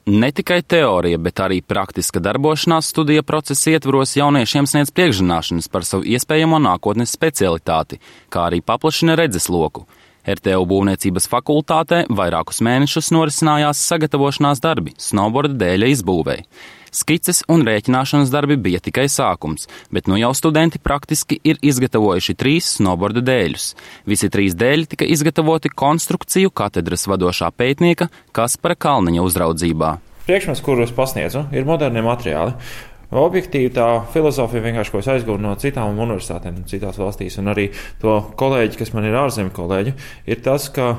Ne tikai teorija, bet arī praktiska darbošanās studija procesa ietvaros jauniešiem sniedz priekšzināšanas par savu iespējamo nākotnes specialitāti, kā arī paplašina redzesloku. RTU būvniecības fakultātē vairākus mēnešus norisinājās sagatavošanās darbi snowboarda dēļa izbūvei. Skices un rēķināšanas darbi bija tikai sākums, bet nu jau studenti praktiski ir izgatavojuši 3 snowboarda dēļus. Visi 3 dēļi tika izgatavoti konstrukciju katedras vadošā pētnieka Kaspara Kalniņa uzraudzībā. Priekšmets, kuru es pasniedzu, ir modernie materiāli. Objektīvi tā filozofija vienkārši, ko es aizgūnu no citām universitātēm, citās valstīs, un arī to kolēģi, kas man ir ārzemju kolēģi, ir tas, ka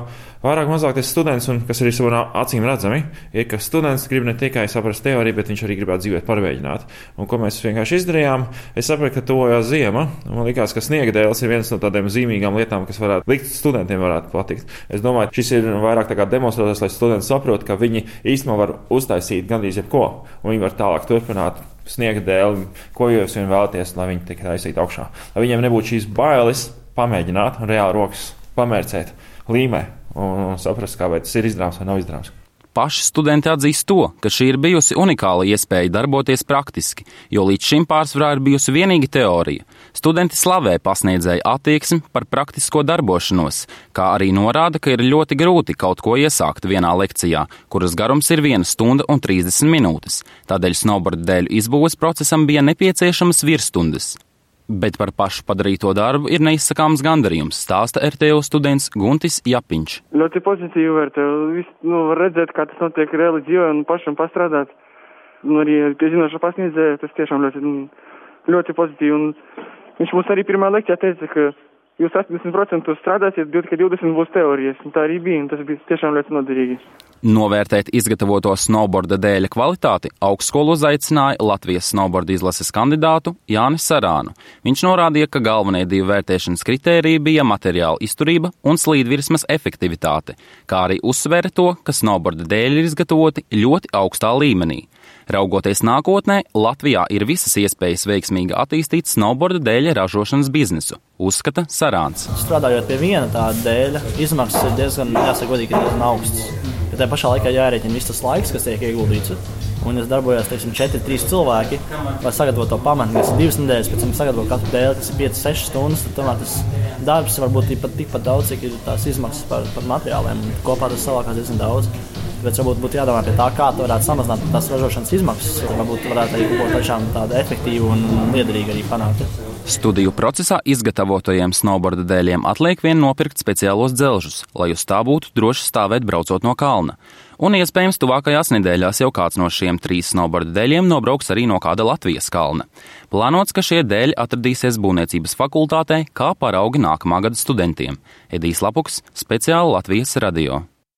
vairāk mazāk tas students, un kas arī savā acīm redzami, ir, ka students grib ne tikai saprast teoriju, bet viņš arī gribētu dzīvēt pārmēģināt. Un ko mēs vienkārši izdarījām, es sapratu, ka tuvojās ziema, un man likās, ka sniega dēles ir viens no tādiem zīmīgām lietām, kas varētu likt studentiem varētu patikt. Es domāju, šis ir vairāk tā kā demonstrētājs, lai studenti saprot, ka viņi īstenībā var uztaisīt gandrīz jebko, un viņi var tālāk turpināt sniega dēli, ko jūs vien vēlaties, lai viņi tiek taisīti augšā. Lai viņiem nebūtu šīs bailes pamēģināt un reāli rokas pamērcēt līmē un saprast, kā vai tas ir izdarāms vai nav izdarāms. Paši studenti atzīst to, ka šī ir bijusi unikāla iespēja darboties praktiski, jo līdz šim pārsvarā ir bijusi vienīgi teorija. Studenti slavē pasniedzēju attieksmi par praktisko darbošanos, kā arī norāda, ka ir ļoti grūti kaut ko iesākt vienā lekcijā, kuras garums ir 1 stunda un 30 minūtes. Tādēļ snowboarda dēļu izbūves procesam bija nepieciešamas virsstundas. Bet par pašu padarīto darbu ir neizsakāms gandarījums, stāsta RTU students Guntis Japiņš. Ļoti pozitīvi vērtēju. Var redzēt, kā tas notiek reāli dzīvē un pašam pastrādāt. Arī pie zinoša pasniedzēja tas tiešām ļoti pozitīvi. Un viņš mums arī pirmā lekcijā teica, ka jūs 80% strādāsiet, tikai 20% būs teorijas. Un tā arī bija, un tas bija tiešām ļoti noderīgi. Novērtēt izgatavoto snowboarda dēļa kvalitāti augstskolu uzaicināja Latvijas snowboarda izlases kandidātu Jāni Sarānu. Viņš norādīja, ka galvenie 2 vērtēšanas kritēriji bija materiāla izturība un slīdvirsmas efektivitāte, kā arī uzsvēra to, ka snowboarda dēļi ir izgatavoti ļoti augstā līmenī. Raugoties nākotnē, Latvijā ir visas iespējas veiksmīgi attīstīt snowboarda dēļa ražošanas biznesu, uzskata Sarāns. Strādājot pie viena tāda dēļa, izmaksas ir diezgan augstas. Bet tajā pašā laikā jārēķina viss tas laiks, kas tiek ieguldīts. Un es darbojos, 4-3 cilvēki, lai sagatavotu to pamatu, kas ir 2 nedēļas, pēc tam sagatavotu katru dēli, kas ir 5-6 stundas. Tad tomēr tas darbs var būt tikpat daudz, cik ir tās izmaksas par materiāliem. Kopā tas savākās diezgan daudz. Bet varbūt būtu jādomā pie tā, kā to varētu samazināt tās ražošanas izmaksas. Varbūt varētu arī kaut ko tiešām tādu efektīvu un liederīgu arī panākt. Studiju procesā izgatavotajiem snowboarda dēļiem atliek vien nopirkt speciālos dzelžus, lai uz tā būtu droši stāvēt braucot no kalna. Un iespējams tuvākajās nedēļās jau kāds no šiem 3 snowboarda dēļiem nobrauks arī no kāda Latvijas kalna. Plānots, ka šie dēļi atradīsies būvniecības fakultātē kā paraugi nākamā gada studentiem. Edijs Lapuks, speciāli Latvijas radio.